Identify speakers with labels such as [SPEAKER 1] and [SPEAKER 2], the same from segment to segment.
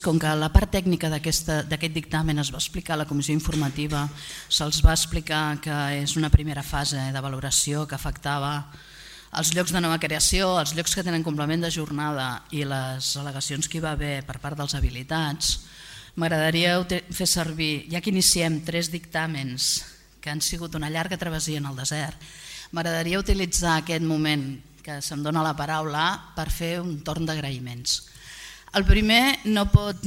[SPEAKER 1] Com que la part tècnica d'aquest dictamen es va explicar a la comissió informativa, se'ls va explicar que és una primera fase de valoració que afectava els llocs de nova creació, els llocs que tenen complement de jornada i les al·legacions que hi va haver per part dels habilitats, m'agradaria fer servir, ja que iniciem 3 dictàmens que han sigut una llarga travessia en el desert, m'agradaria utilitzar aquest moment que se'm dona la paraula per fer un torn d'agraïments. El primer no pot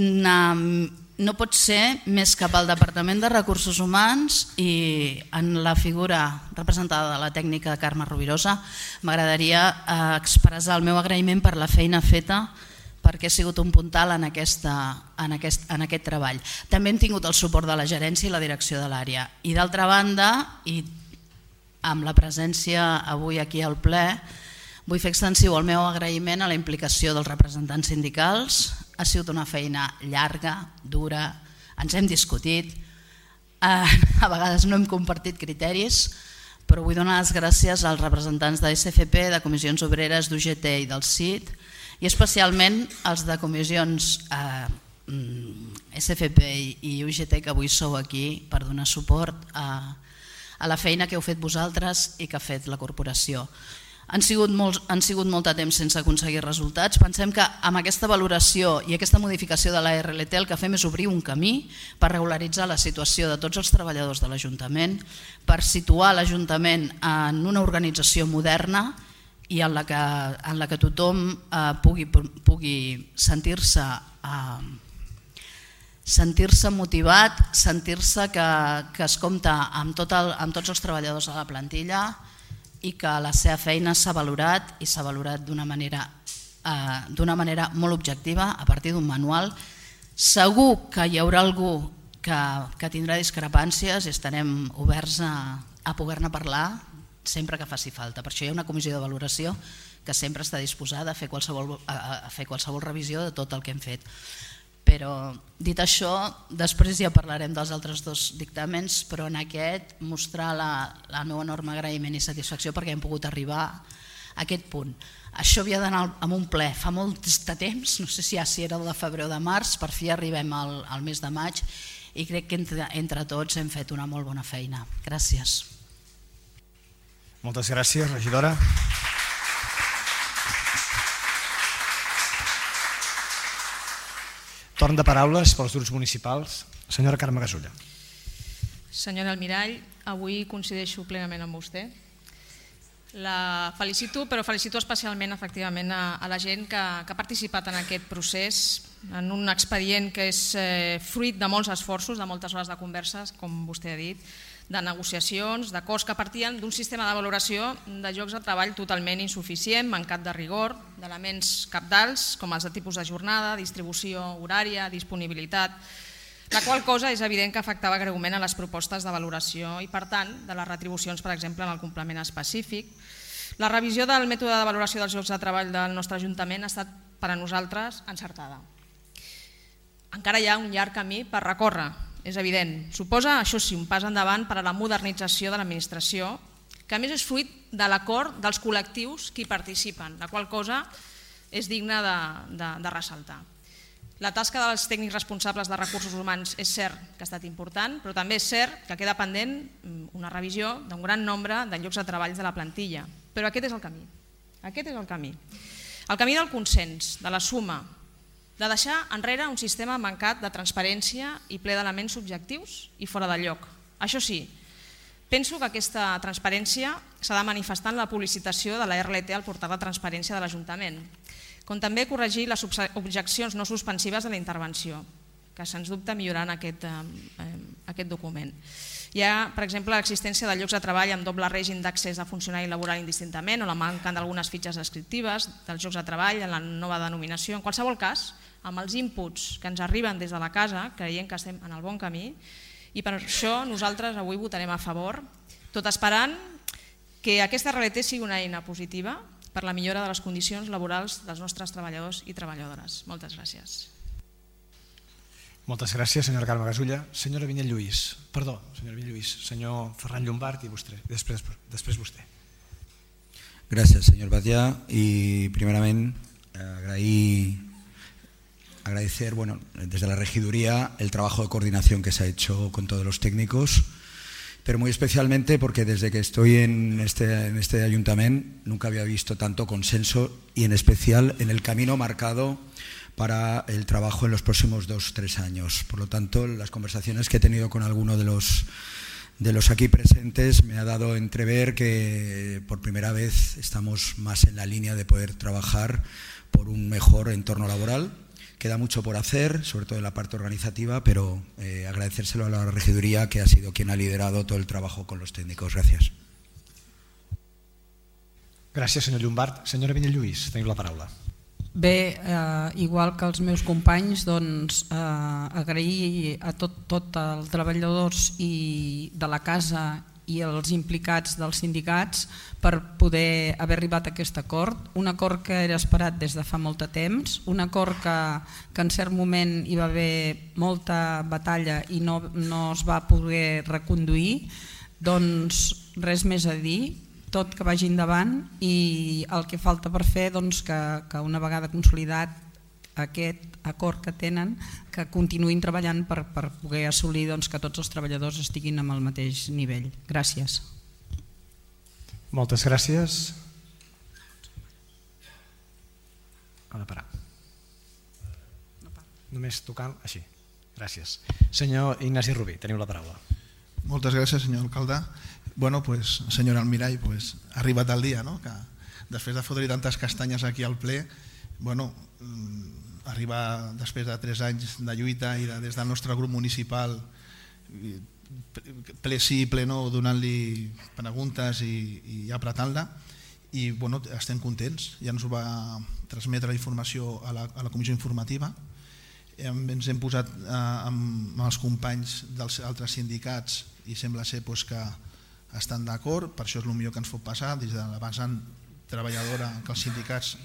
[SPEAKER 1] ser més que pel Departament de Recursos Humans i en la figura representada de la tècnica Carme Rovirosa m'agradaria expressar el meu agraïment per la feina feta perquè ha sigut un puntal en aquest treball. També hem tingut el suport de la gerència i la direcció de l'àrea. I d'altra banda, i amb la presència avui aquí al ple, vull fer extensiu el meu agraïment a la implicació dels representants sindicals. Ha sigut una feina llarga, dura, ens hem discutit, a vegades no hem compartit criteris, però vull donar les gràcies als representants de SFP, de Comissions Obreres, d'UGT i del CIT, i especialment als de comissions SFP i UGT que avui sou aquí per donar suport a la feina que heu fet vosaltres i que ha fet la corporació. Han sigut molt de temps sense aconseguir resultats. Pensem que amb aquesta valoració i aquesta modificació de la RLT el que fem és obrir un camí per regularitzar la situació de tots els treballadors de l'Ajuntament, per situar l'Ajuntament en una organització moderna i en la que tothom pugui sentir-se motivat, sentir-se que es compta amb tots els treballadors de la plantilla i que la seva feina s'ha valorat i s'ha valorat d'una manera molt objectiva a partir d'un manual. Segur que hi haurà algú que tindrà discrepàncies i estarem oberts a poder-ne parlar sempre que faci falta. Per això hi ha una comissió de valoració que sempre està disposada a fer qualsevol revisió de tot el que hem fet. Però dit això, després ja parlarem dels altres 2 dictàmens, però en aquest mostrar el meu enorme agraïment i satisfacció perquè hem pogut arribar a aquest punt. Això havia d'anar amb un ple fa molt de temps, no sé si era el de febrer o de març, per fi arribem al mes de maig i crec que entre tots hem fet una molt bona feina. Gràcies.
[SPEAKER 2] Moltes gràcies, regidora. Torn de paraules pels grups municipals. Senyora Carme Gasulla.
[SPEAKER 3] Senyora Almirall, avui coincideixo plenament amb vostè. La felicito, però felicito especialment efectivament a la gent que ha participat en aquest procés, en un expedient que és fruit de molts esforços, de moltes hores de converses, com vostè ha dit, de negociacions, d'acords que partien d'un sistema de valoració de llocs de treball totalment insuficient, mancat de rigor, d'elements cabdals com els de tipus de jornada, distribució horària, disponibilitat, la qual cosa és evident que afectava greument a les propostes de valoració i, per tant, de les retribucions, per exemple, en el complement específic. La revisió del mètode de valoració dels llocs de treball del nostre Ajuntament ha estat per a nosaltres encertada. Encara hi ha un llarg camí per recórrer, és evident. Suposa, això sí, un pas endavant per a la modernització de l'administració, que a més és fruit de l'acord dels col·lectius que hi participen, la qual cosa és digna de ressaltar. La tasca dels tècnics responsables de recursos humans és cert que ha estat important, però també és cert que queda pendent una revisió d'un gran nombre de llocs de treball de la plantilla. Però aquest és el camí. Aquest és el camí. El camí del consens, de la suma, de deixar enrere un sistema mancat de transparència i ple d'elements subjectius i fora de lloc. Això sí, penso que aquesta transparència s'ha de manifestar en la publicitació de la RLT al portal de transparència de l'Ajuntament, com també corregir les objeccions no suspensives de la intervenció, que sens dubte milloraran aquest document. Hi ha, per exemple, l'existència de llocs de treball amb doble règim d'accés a funcionari laboral indistintament o la manca d'algunes fitxes descriptives dels llocs de treball en la nova denominació. En qualsevol cas, amb els inputs que ens arriben des de la casa, creiem que estem en el bon camí i per això nosaltres avui votarem a favor, tot esperant que aquesta RLT sigui una eina positiva per la millora de les condicions laborals dels nostres treballadors i treballadores. Moltes gràcies.
[SPEAKER 2] Moltes gràcies, senyora Carme Gasulla. Senyora Vinyet Lluís, perdó, senyora Vinyet Lluís, senyor Ferran Llombart i vostè, després vostè.
[SPEAKER 4] Gràcies, senyor Batllà, i primerament agrair agradecer, desde la regiduría el trabajo de coordinación que se ha hecho con todos los técnicos, pero muy especialmente porque desde que estoy en este ayuntamiento nunca había visto tanto consenso y en especial en el camino marcado para el trabajo en los próximos 2-3 años. Por lo tanto, las conversaciones que he tenido con alguno de los aquí presentes me ha dado a entrever que por primera vez estamos más en la línea de poder trabajar por un mejor entorno laboral. Queda mucho por hacer, sobre todo en la parte organizativa, pero agradecérselo a la regiduría, que ha sido quien ha liderado todo el trabajo con los técnicos. Gràcies.
[SPEAKER 2] Gràcies, senyor Llombart. Senyora Vinyet Lluís, teniu la paraula.
[SPEAKER 5] Bé, igual que els meus companys, doncs, agrair a tots els treballadors de la casa i els implicats dels sindicats per poder haver arribat a aquest acord, un acord que era esperat des de fa molt de temps, un acord que en cert moment hi va haver molta batalla i no es va poder reconduir. Doncs res més a dir, tot que vagi endavant, i el que falta per fer, que una vegada consolidat aquest acord que tenen, que continuïn treballant per poder assolir que tots els treballadors estiguin amb el mateix nivell. Gràcies.
[SPEAKER 2] Moltes gràcies. Ha de parar. Només tocant així. Gràcies. Senyor Ignasi Rubí, teniu la paraula.
[SPEAKER 6] Moltes gràcies, senyor alcalde. Bueno, pues, senyora Almirall, pues, ha arribat el dia, no? Que després de fotre tantes castanyes aquí al ple, bueno, arribar després de 3 anys de lluita i des del nostre grup municipal, ple sí, ple no, donant-li preguntes i apretant-la, i bueno, estem contents. Ja ens va transmetre la informació a la comissió informativa, ens hem posat amb els companys dels altres sindicats i sembla ser que estan d'acord, per això és el millor que ens pot passar des de la vessant treballadora, que els sindicats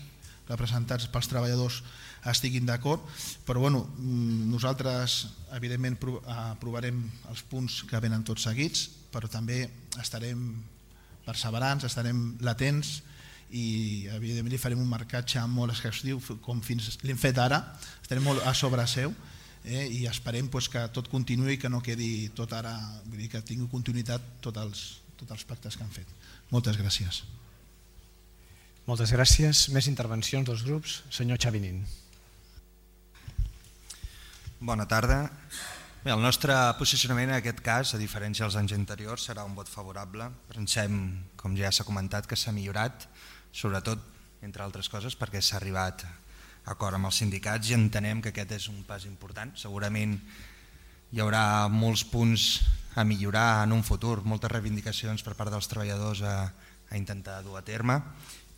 [SPEAKER 6] representats pels treballadors estiguin d'acord, però bueno, nosaltres evidentment aprovarem els punts que venen tots seguits, però també estarem perseverants, estarem latents i evidentment li farem un marcatge molt exhaustiu com fins l'hem fet ara, estarem molt a sobre seu i esperem que tot continuï i que no quedi tot ara, vull dir que tingui continuïtat tots els pactes que han fet. Moltes gràcies.
[SPEAKER 2] Moltes gràcies. Més intervencions dels grups. Senyor Xavi Nin.
[SPEAKER 7] Bona tarda. Bé, el nostre posicionament en aquest cas, a diferència dels anys anteriors, serà un vot favorable. Pensem, com ja s'ha comentat, que s'ha millorat, sobretot, entre altres coses, perquè s'ha arribat a acord amb els sindicats i entenem que aquest és un pas important. Segurament hi haurà molts punts a millorar en un futur, moltes reivindicacions per part dels treballadors a intentar dur a terme,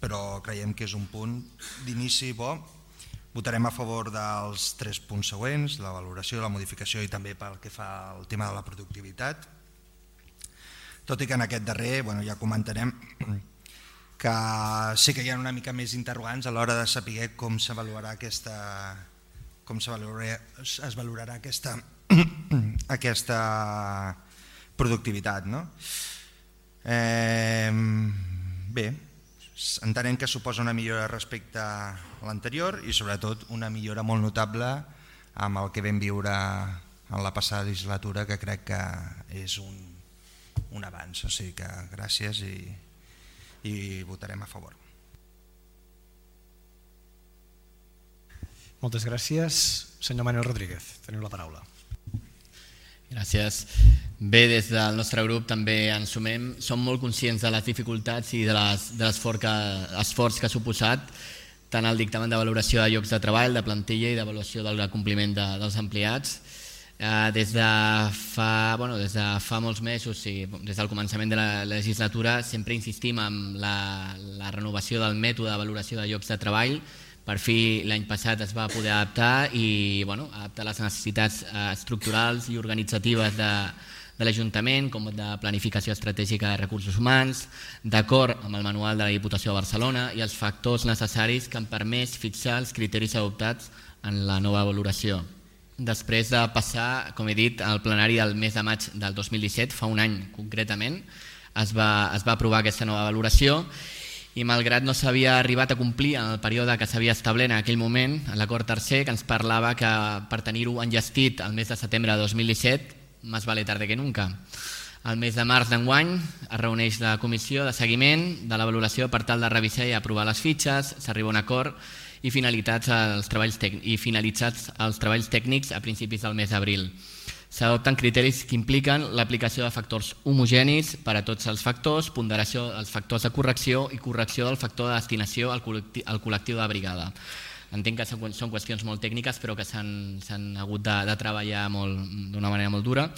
[SPEAKER 7] però creiem que és un punt d'inici bo. Votarem a favor dels 3 punts següents, la valoració, la modificació i també pel que fa al tema de la productivitat. Tot i que en aquest darrer ja comentarem que sí que hi ha una mica més interrogants a l'hora de saber com es valorarà aquesta productivitat. Bé, entenem que suposa una millora respecte a l'anterior i sobretot una millora molt notable amb el que vam viure en la passada legislatura, que crec que és un avanç. O sigui que gràcies i votarem a favor.
[SPEAKER 2] Moltes gràcies. Senyor Manuel Rodríguez, teniu la paraula.
[SPEAKER 8] Gràcies. Bé, des del nostre grup també ens sumem. Som molt conscients de les dificultats i de l'esforç que ha suposat tant el dictamen de valoració de llocs de treball, de plantilla i d'avaluació del compliment dels empleats. Des de fa molts mesos, des del començament de la legislatura, sempre insistim en la renovació del mètode de valoració de llocs de treball. Per fi l'any passat es va poder adaptar i adaptar les necessitats estructurals i organitzatives de l'Ajuntament, com de planificació estratègica de recursos humans, d'acord amb el manual de la Diputació de Barcelona i els factors necessaris que han permès fixar els criteris adoptats en la nova valoració. Després de passar, com he dit, al plenari del mes de maig del 2017, fa un any concretament, es va aprovar aquesta nova valoració i malgrat no s'havia arribat a complir en el període que s'havia establert en aquell moment, en l'acord tercer, que ens parlava que per tenir-ho enllestit el mes de setembre de 2017, més vale tarde que nunca. El mes de març d'enguany es reuneix la comissió de seguiment de la valoració per tal de revisar i aprovar les fitxes, s'arriba a un acord i finalitzats els treballs tècnics a principis del mes d'abril. S'adopten criteris que impliquen l'aplicació de factors homogenis per a tots els factors, ponderació dels factors de correcció i correcció del factor de destinació al col·lectiu de brigada. Entenc que són qüestions molt tècniques però que s'han hagut de treballar d'una manera molt dura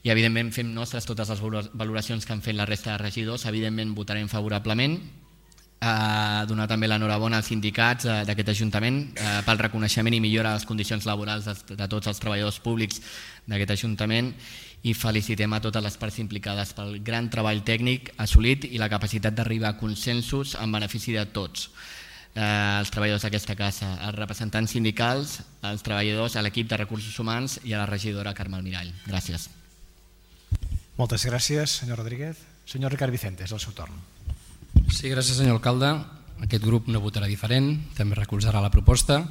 [SPEAKER 8] i evidentment fem nostres totes les valoracions que han fet la resta de regidors, evidentment votarem favorablement. Donar també l'enhorabona als sindicats d'aquest Ajuntament pel reconeixement i millora de les condicions laborals de tots els treballadors públics d'aquest Ajuntament i felicitem a totes les parts implicades pel gran treball tècnic assolit i la capacitat d'arribar a consensos en benefici de tots els treballadors d'aquesta casa, els representants sindicals, els treballadors, a l'equip de recursos humans i a la regidora Carme Almirall. Gràcies.
[SPEAKER 2] Moltes gràcies, senyor Rodríguez. Senyor Ricard Vicente, és el seu torn.
[SPEAKER 9] Sí, gràcies, senyor alcalde. Aquest grup no votarà diferent, també recolzarà la proposta.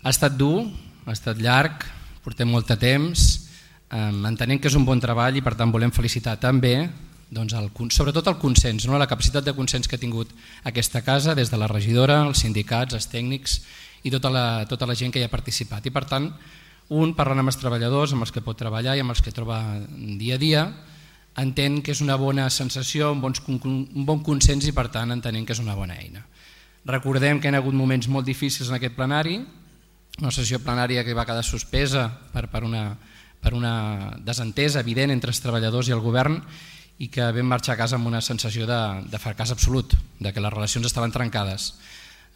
[SPEAKER 9] Ha estat dur, ha estat llarg, portem molt de temps, entenem que és un bon treball i per tant volem felicitar també sobretot el consens, la capacitat de consens que ha tingut aquesta casa des de la regidora, els sindicats, els tècnics i tota la gent que hi ha participat. I per tant, parlant amb els treballadors, amb els que pot treballar i amb els que troba dia a dia, entén que és una bona sensació, un bon consens i per tant entenem que és una bona eina. Recordem que hi ha hagut moments molt difícils en aquest plenari, una sessió plenària que va quedar suspesa per una desentesa evident entre els treballadors i el govern i que vam marxar a casa amb una sensació de fracàs absolut, de que les relacions estaven trencades.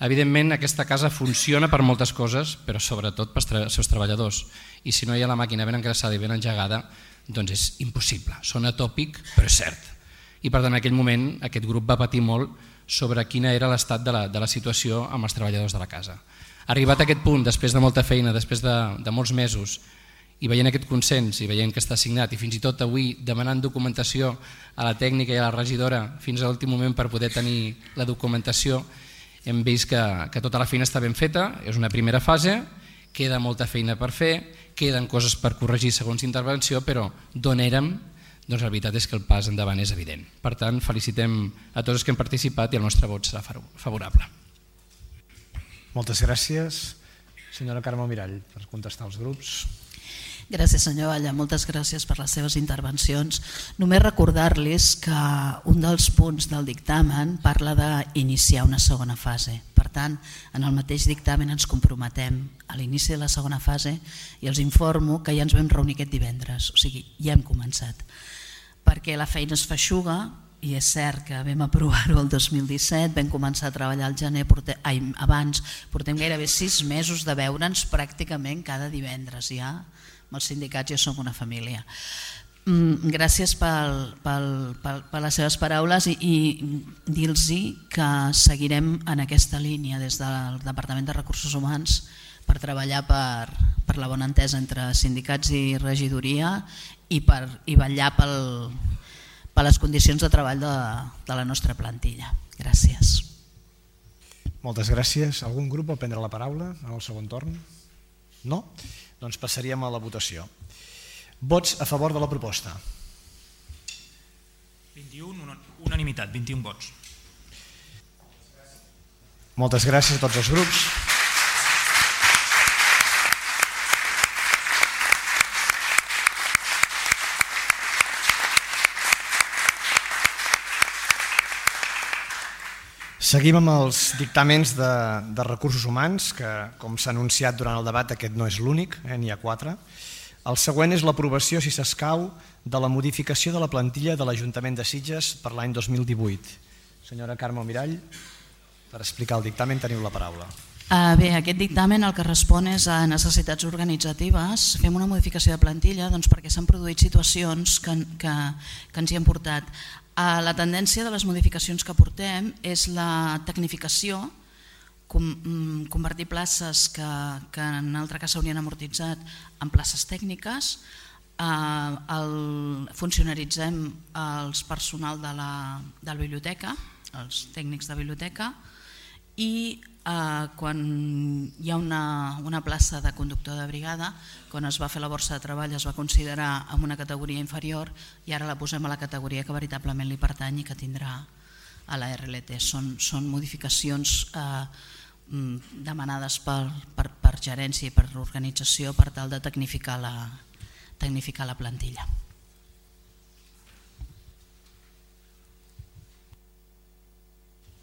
[SPEAKER 9] Evidentment aquesta casa funciona per moltes coses, però sobretot pels seus treballadors i si no hi ha la màquina ben engreixada i ben engegada doncs és impossible, sona tòpic però és cert. I per tant en aquell moment aquest grup va patir molt sobre quina era l'estat de la situació amb els treballadors de la casa. Arribat a aquest punt, després de molta feina, després de molts mesos i veient aquest consens i veient que està signat i fins i tot avui demanant documentació a la tècnica i a la regidora fins a l'últim moment per poder tenir la documentació, hem vist que tota la feina està ben feta, és una primera fase, queda molta feina per fer, queden coses per corregir segons intervenció, però d'on érem, doncs la veritat és que el pas endavant és evident. Per tant, felicitem a tots els que hem participat i el nostre vot serà favorable.
[SPEAKER 2] Moltes gràcies. Senyora Carme Almirall, per contestar als grups.
[SPEAKER 1] Gràcies, senyor Valla, moltes gràcies per les seves intervencions. Només recordar-los que un dels punts del dictamen parla d'iniciar una segona fase. Per tant, en el mateix dictamen ens comprometem a l'inici de la segona fase i els informo que ja ens vam reunir aquest divendres, o sigui, ja hem començat. Perquè la feina es feixuga i és cert que vam aprovar-ho el 2017, vam començar a treballar al gener, abans portem gairebé 6 mesos de veure'ns pràcticament cada divendres ja. Amb els sindicats ja som una família. Gràcies per les seves paraules i dir-los que seguirem en aquesta línia des del Departament de Recursos Humans per treballar per la bona entesa entre sindicats i regidoria i vetllar per les condicions de treball de la nostra plantilla. Gràcies.
[SPEAKER 2] Moltes gràcies. Algun grup vol prendre la paraula en el segon torn? No? Doncs passaríem a la votació. Vots a favor de la proposta.
[SPEAKER 10] 21, unanimitat, 21 vots.
[SPEAKER 2] Moltes gràcies a tots els grups. Seguim amb els dictàmens de recursos humans, que com s'ha anunciat durant el debat aquest no és l'únic, n'hi ha 4. El següent és l'aprovació, si s'escau, de la modificació de la plantilla de l'Ajuntament de Sitges per l'any 2018. Senyora Carme Almirall, per explicar el dictamen teniu la paraula.
[SPEAKER 1] Bé, aquest dictamen el que respon és a necessitats organitzatives. Fem una modificació de plantilla perquè s'han produït situacions que ens hi han portat. La tendència de les modificacions que portem és la tecnificació, convertir places que en altre cas s'haurien amortitzat en places tècniques, funcionaritzem el personal de la biblioteca, els tècnics de biblioteca, i quan hi ha una plaça de conductor de brigada, quan es va fer la borsa de treball es va considerar en una categoria inferior i ara la posem a la categoria que veritablement li pertany i que tindrà a la RLT. Són modificacions demanades per gerència i per organització per tal de tecnificar la plantilla.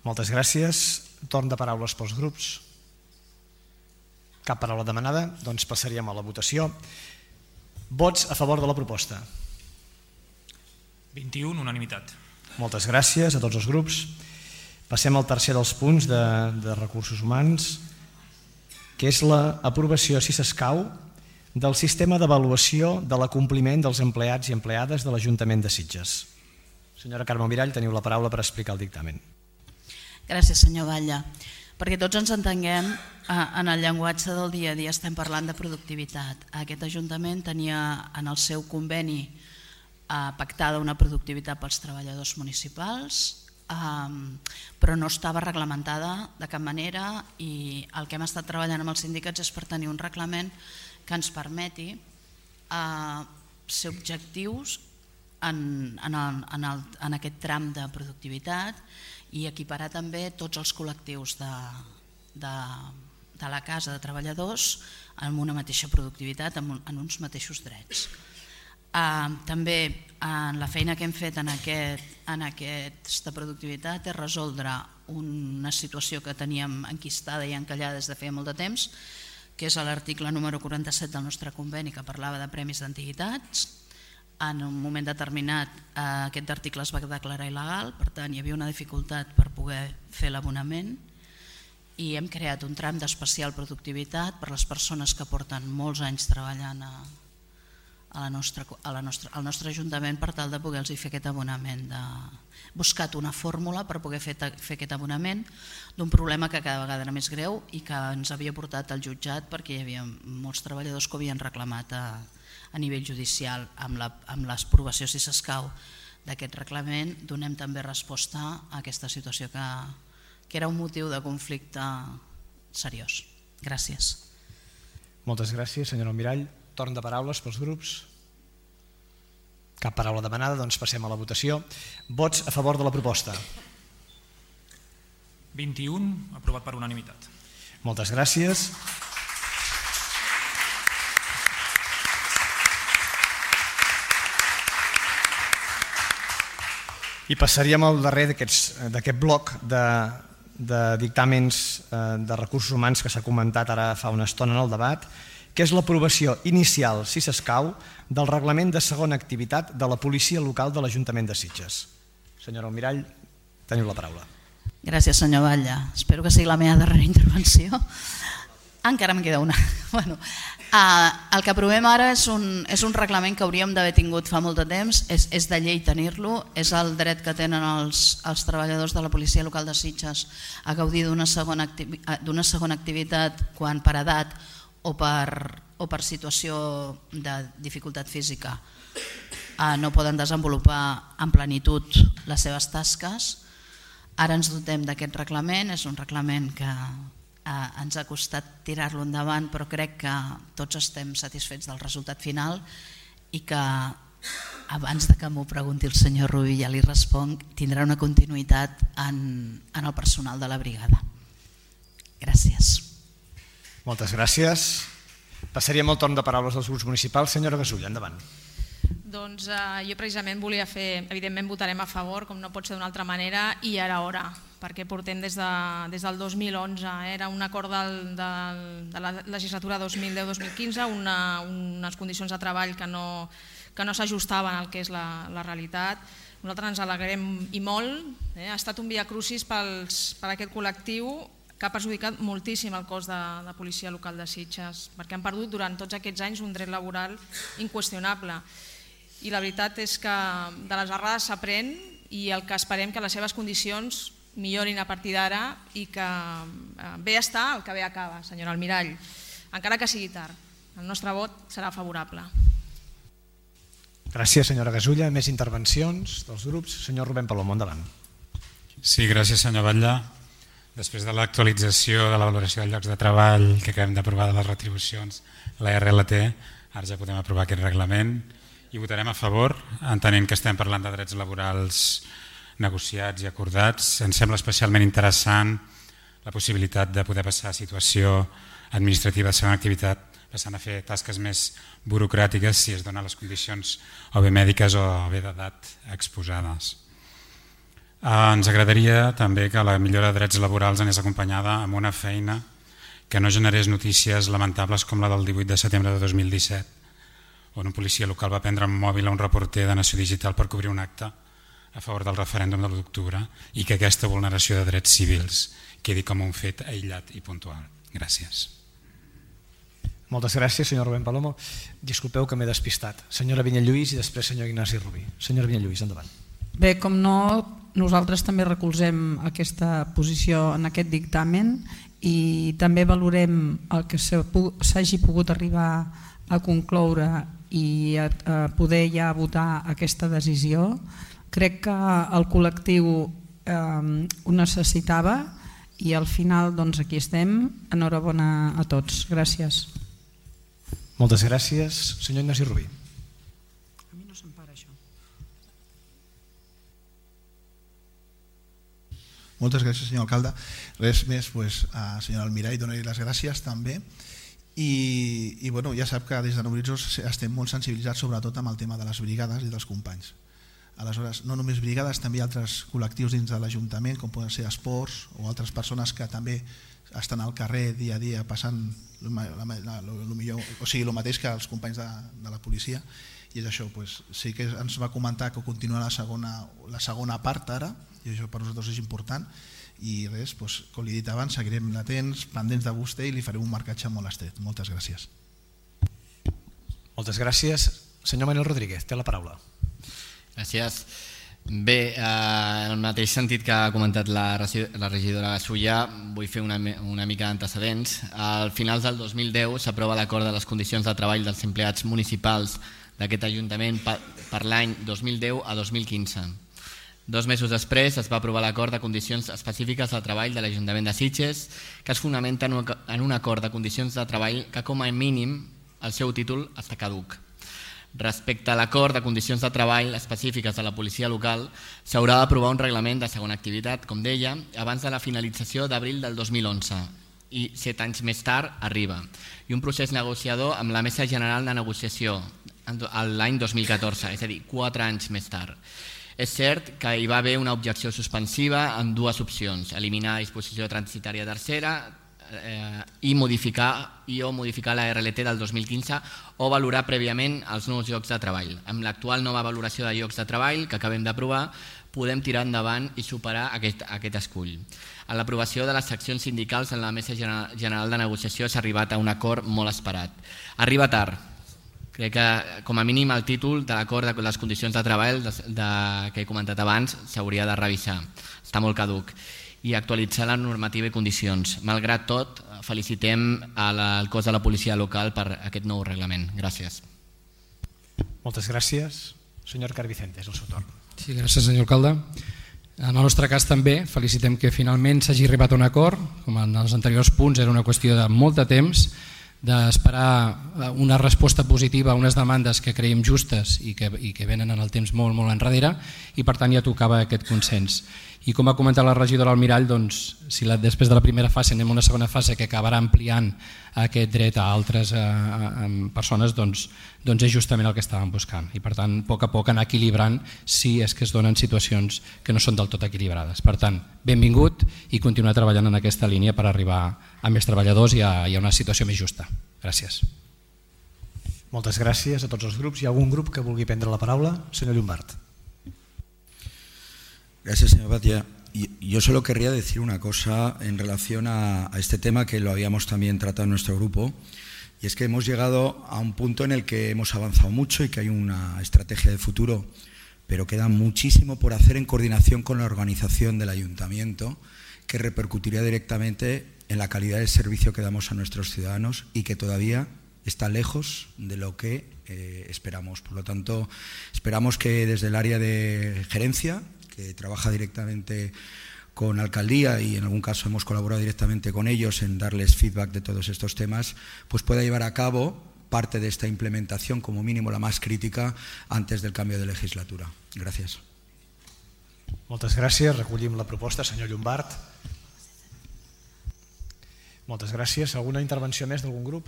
[SPEAKER 2] Moltes gràcies. Torn de paraules pels grups. Cap paraula demanada, doncs passaríem a la votació. Vots a favor de la proposta.
[SPEAKER 10] 21, unanimitat.
[SPEAKER 2] Moltes gràcies a tots els grups. Passem al tercer dels punts de recursos humans, que és l'aprovació, si s'escau, del sistema d'avaluació de l'acompliment dels empleats i empleades de l'Ajuntament de Sitges. Senyora Carme Mirall, teniu la paraula per explicar el dictamen.
[SPEAKER 1] Gràcies, senyor Batlle. Perquè tots ens entenguem, en el llenguatge del dia a dia estem parlant de productivitat. Aquest Ajuntament tenia en el seu conveni pactada una productivitat pels treballadors municipals, però no estava reglamentada de cap manera, i el que hem estat treballant amb els sindicats és per tenir un reglament que ens permeti ser objectius en aquest tram de productivitat i equiparar també tots els col·lectius de la casa de treballadors amb una mateixa productivitat, en uns mateixos drets. També la feina que hem fet en aquesta productivitat és resoldre una situació que teníem enquistada i encallada des de feia molt de temps, que és l'article número 47 del nostre conveni, que parlava de premis d'antiguitats. En un moment determinat aquest article es va declarar il·legal, per tant hi havia una dificultat per poder fer l'abonament, i hem creat un tram d'especial productivitat per les persones que porten molts anys treballant al nostre Ajuntament per tal de poder-los fer aquest abonament. Buscat una fórmula per poder fer aquest abonament d'un problema que cada vegada era més greu i que ens havia portat al jutjat perquè hi havia molts treballadors que ho havien reclamat a nivell judicial. Amb l'aprovació, si s'escau, d'aquest reglament donem també resposta a aquesta situació que era un motiu de conflicte seriós. Gràcies.
[SPEAKER 2] Moltes gràcies, senyora Almirall. Torn de paraules pels grups. Cap paraula demanada, doncs passem a la votació. Vots a favor de la proposta.
[SPEAKER 10] 21, aprovat per unanimitat.
[SPEAKER 2] Moltes gràcies. I passaríem al darrer d'aquest bloc de dictàmens de recursos humans que s'ha comentat ara fa una estona en el debat, que és l'aprovació inicial, si s'escau, del reglament de segona activitat de la policia local de l'Ajuntament de Sitges. Senyora Almirall, teniu la paraula.
[SPEAKER 1] Gràcies, senyor Batlle. Espero que sigui la meva darrera intervenció. Encara em queda una. El que aprovem ara és un reglament que hauríem d'haver tingut fa molt de temps, és de llei tenir-lo, és el dret que tenen els treballadors de la policia local de Sitges a gaudir d'una segona activitat quan per edat o per situació de dificultat física no poden desenvolupar en plenitud les seves tasques. Ara ens dotem d'aquest reglament, és un reglament que ens ha costat tirar-lo endavant, però crec que tots estem satisfets del resultat final i que abans que m'ho pregunti el senyor Rubí ja li responc, tindrà una continuïtat en el personal de la brigada. Gràcies.
[SPEAKER 2] Moltes gràcies. Passaríem al torn de paraules dels grups municipals. Senyora Gasulla, endavant.
[SPEAKER 3] Doncs jo precisament volia fer, evidentment votarem a favor, com no pot ser d'una altra manera, i ara hora, perquè portem des del 2011, era un acord de la legislatura 2010-2015, unes condicions de treball que no s'ajustaven al que és la realitat. Nosaltres ens alegrem i molt, ha estat un viacrucis per aquest col·lectiu que ha perjudicat moltíssim el cos de policia local de Sitges, perquè han perdut durant tots aquests anys un dret laboral inqüestionable. I la veritat és que de les errades s'aprèn i el que esperem que les seves condicions millorin a partir d'ara i que bé està el que bé acaba, senyora Almirall, encara que sigui tard. El nostre vot serà favorable.
[SPEAKER 2] Gràcies, senyora Gasulla. Més intervencions dels grups. Senyor Rubén Palomo, endavant.
[SPEAKER 11] Sí, gràcies, senyor Batlle. Després de l'actualització de la valoració dels llocs de treball que acabem d'aprovar de les retribucions, la RLT, ara ja podem aprovar aquest reglament i votarem a favor, entenent que estem parlant de drets laborals negociats i acordats. Ens sembla especialment interessant la possibilitat de poder passar a situació administrativa de segona activitat, passant a fer tasques més burocràtiques si es donen les condicions o bé mèdiques o bé d'edat exposades. Ens agradaria també que la millora de drets laborals anés acompanyada amb una feina que no generés notícies lamentables com la del 18 de setembre de 2017, on un policia local va prendre un mòbil a un reporter de Nació Digital per cobrir un acte a favor del referèndum de l'1 d'octubre i que aquesta vulneració de drets civils quedi com un fet aïllat i puntual. Gràcies.
[SPEAKER 2] Moltes gràcies, senyor Rubén Palomo. Disculpeu que m'he despistat. Senyora Vinyalluís i després senyor Ignasi Rubí. Senyora Vinyalluís, endavant.
[SPEAKER 5] Bé, com no, nosaltres també recolzem aquesta posició en aquest dictamen i també valorem el que s'hagi pogut arribar a concloure i a poder ja votar aquesta decisió. Crec que el col·lectiu ho necessitava i al final doncs aquí estem. Enhorabona a tots. Gràcies.
[SPEAKER 2] Moltes gràcies. Senyor Ignasi Rubí.
[SPEAKER 5] A mi no se'm para això.
[SPEAKER 6] Moltes gràcies, senyor alcalde. Res més, senyor Almirall, donar-li les gràcies també. I bueno, ja sap que des de Nobritzos estem molt sensibilitzats sobretot amb el tema de les brigades i dels companys. Aleshores, no només brigades, també altres col·lectius dins de l'Ajuntament, com poden ser esports o altres persones que també estan al carrer dia a dia passant el mateix que els companys de la policia. I és això, sí que ens va comentar que continua la segona part ara, i això per nosaltres és important, i res, com li he dit abans, seguirem latents, pendents de vostè i li farem un marcatge molt estret. Moltes gràcies.
[SPEAKER 2] Moltes gràcies. Senyor Manuel Rodríguez, té la paraula.
[SPEAKER 8] Gràcies. Bé, en el mateix sentit que ha comentat la regidora Gasulla, vull fer una mica d'antecedents. Al finals del 2010 s'aprova l'acord de les condicions de treball dels empleats municipals d'aquest Ajuntament per l'any 2010 a 2015. 2 mesos després es va aprovar l'acord de condicions específiques de treball de l'Ajuntament de Sitges, que es fonamenta en un acord de condicions de treball que com a mínim el seu títol està caduc. Respecte a l'acord de condicions de treball específiques de la policia local, s'haurà d'aprovar un reglament de segona activitat, com deia, abans de la finalització d'abril del 2011 i 7 anys més tard arriba, i un procés negociador amb la Mesa General de Negociació l'any 2014, és a dir, 4 anys més tard. És cert que hi va haver una objecció suspensiva amb 2 opcions, eliminar la disposició transitòria tercera i modificar la RLT del 2015 o valorar prèviament els nous llocs de treball. Amb l'actual nova valoració de llocs de treball que acabem d'aprovar, podem tirar endavant i superar aquest escull. A l'aprovació de les seccions sindicals en la Mesa General de Negociació s'ha arribat a un acord molt esperat. Arriba tard. Crec que com a mínim el títol de l'acord de les condicions de treball que he comentat abans s'hauria de revisar. Està molt caduc. I actualitzar la normativa i condicions. Malgrat tot, felicitem al cos de la policia local per aquest nou reglament. Gràcies.
[SPEAKER 2] Moltes gràcies. Senyor Carvicente, és el seu torn.
[SPEAKER 9] Sí, gràcies, senyor alcalde. En el nostre cas també felicitem que finalment s'hagi arribat a un acord. Com en els anteriors punts era una qüestió de molt de temps, d'esperar una resposta positiva a unes demandes que creiem justes i que venen en el temps molt enrere, i per tant ja tocava aquest consens. I com ha comentat la regidora Almirall, doncs, si després de la primera fase anem a una segona fase que acabarà ampliant aquest dret a altres persones, doncs és justament el que estàvem buscant. I per tant, a poc anar equilibrant si és que es donen situacions que no són del tot equilibrades. Per tant, benvingut i continuar treballant en aquesta línia per arribar a més treballadors i a una situació més justa. Gràcies.
[SPEAKER 2] Moltes gràcies a tots els grups. Hi ha algun grup que vulgui prendre la paraula? Senyor Llombart.
[SPEAKER 4] Gracias, señor Batia. Yo solo querría decir una cosa en relación a este tema que lo habíamos también tratado en nuestro grupo, y es que hemos llegado a un punto en el que hemos avanzado mucho y que hay una estrategia de futuro, pero queda muchísimo por hacer en coordinación con la organización del ayuntamiento, que repercutiría directamente en la calidad del servicio que damos a nuestros ciudadanos y que todavía está lejos de lo que esperamos. Por lo tanto, esperamos que desde el área de gerencia, que trabaja directamente con alcaldía y en algún caso hemos colaborado directamente con ellos en darles feedback de todos estos temas, pues pueda llevar a cabo parte de esta implementación, como mínimo la más crítica, antes del cambio de legislatura. Gràcies.
[SPEAKER 2] Moltes gràcies. Recollim la proposta. Senyor Llombart. Moltes gràcies. Alguna intervenció més d'algun grup?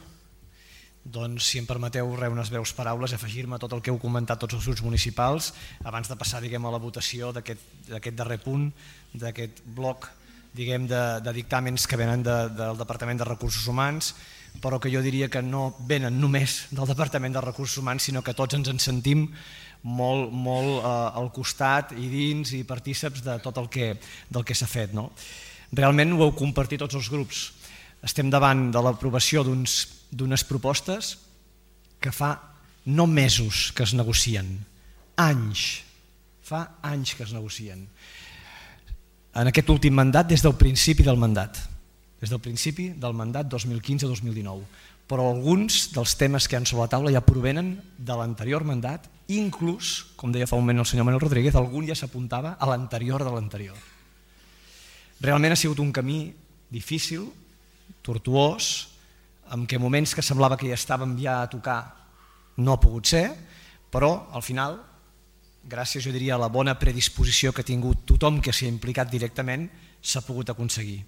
[SPEAKER 2] Doncs, si em permeteu, unes breus paraules, afegir-me a tot el que heu comentat tots els grups municipals abans de passar a la votació d'aquest darrer punt, d'aquest bloc de dictàmens que venen del Departament de Recursos Humans, però que jo diria que no venen només del Departament de Recursos Humans, sinó que tots ens en sentim molt al costat i dins i partíceps de tot el que s'ha fet. Realment ho heu compartit tots els grups. Estem davant de l'aprovació d'unes propostes que fa no mesos que es negocien, anys, fa anys que es negocien. En aquest últim mandat, des del principi del mandat 2015-2019, però alguns dels temes que hi ha sobre la taula ja provenen de l'anterior mandat, inclús, com deia fa un moment el senyor Manuel Rodríguez, algun ja s'apuntava a l'anterior de l'anterior. Realment ha sigut un camí difícil, tortuós, en què moments que semblava que ja estàvem ja a tocar no ha pogut ser, però al final, gràcies jo diria a la bona predisposició que ha tingut tothom que s'hi ha implicat directament, s'ha pogut aconseguir.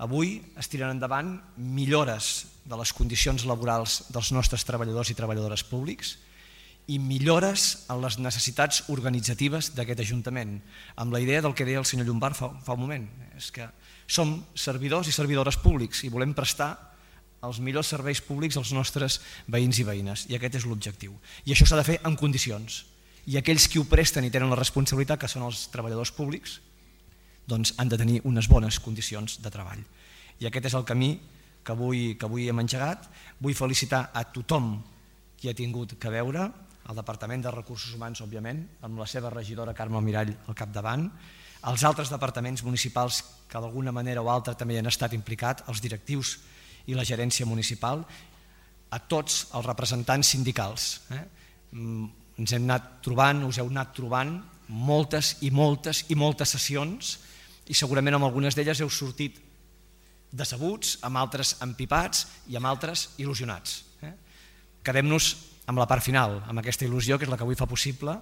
[SPEAKER 2] Avui es tiren endavant millores de les condicions laborals dels nostres treballadors i treballadores públics i millores en les necessitats organitzatives d'aquest Ajuntament, amb la idea del que deia el senyor Llombart fa un moment, és que som servidors i servidores públics i volem prestar els millors serveis públics als nostres veïns i veïnes, i aquest és l'objectiu. I això s'ha de fer en condicions. I aquells qui ho presten i tenen la responsabilitat, que són els treballadors públics, doncs han de tenir unes bones condicions de treball. I aquest és el camí que avui hem engegat. Vull felicitar a tothom qui ha tingut que veure, el Departament de Recursos Humans, òbviament, amb la seva regidora Carme Almirall al capdavant, els altres departaments municipals que d'alguna manera o altra també hi han estat implicats, els directius i la gerència municipal, a tots els representants sindicals. Ens hem anat trobant, us heu anat trobant moltes i moltes i moltes sessions i segurament amb algunes d'elles heu sortit decebuts, amb altres empipats i amb altres il·lusionats. Quedem-nos amb la part final, amb aquesta il·lusió que és la que avui fa possible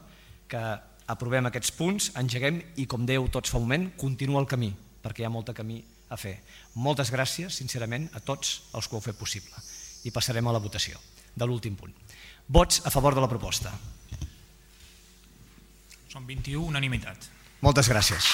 [SPEAKER 2] que aprovem aquests punts, engeguem i, com dèieu tots fa un moment, continua el camí, perquè hi ha molt camí a fer. Moltes gràcies, sincerament, a tots els que ho heu fet possible. I passarem a la votació de l'últim punt. Vots a favor de la proposta.
[SPEAKER 10] Són 21, unanimitat.
[SPEAKER 2] Moltes gràcies.